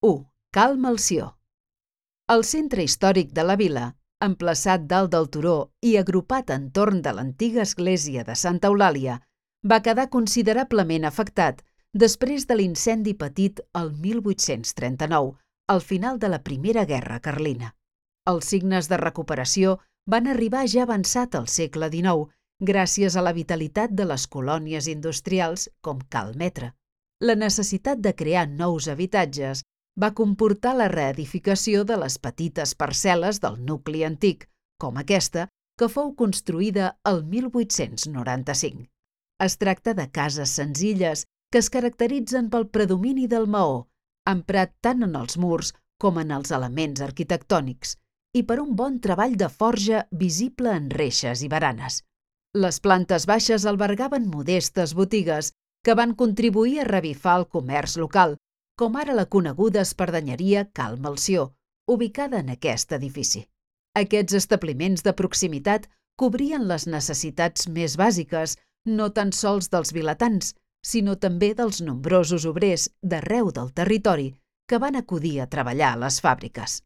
1. Cal Melcior. El centre històric de la vila, emplaçat dalt del turó i agrupat entorn de l'antiga església de Santa Eulàlia, va quedar considerablement afectat després de l'incendi patit el 1839, al final de la Primera Guerra Carlina. Els signes de recuperació van arribar ja avançat al segle XIX, gràcies a la vitalitat de les colònies industrials com Cal Metre. La necessitat de crear nous habitatges va comportar la reedificació de les petites parcel·les del nucli antic, com aquesta, que fou construïda el 1895. Es tracta de cases senzilles que es caracteritzen pel predomini del maó, emprat tant en els murs com en els elements arquitectònics, i per un bon treball de forja visible en reixes i baranes. Les plantes baixes albergaven modestes botigues que van contribuir a revifar el comerç local, com ara la coneguda espardenyeria Cal Melcior, ubicada en aquest edifici. Aquests establiments de proximitat cobrien les necessitats més bàsiques, no tan sols dels vilatans, sinó també dels nombrosos obrers d'arreu del territori que van acudir a treballar a les fàbriques.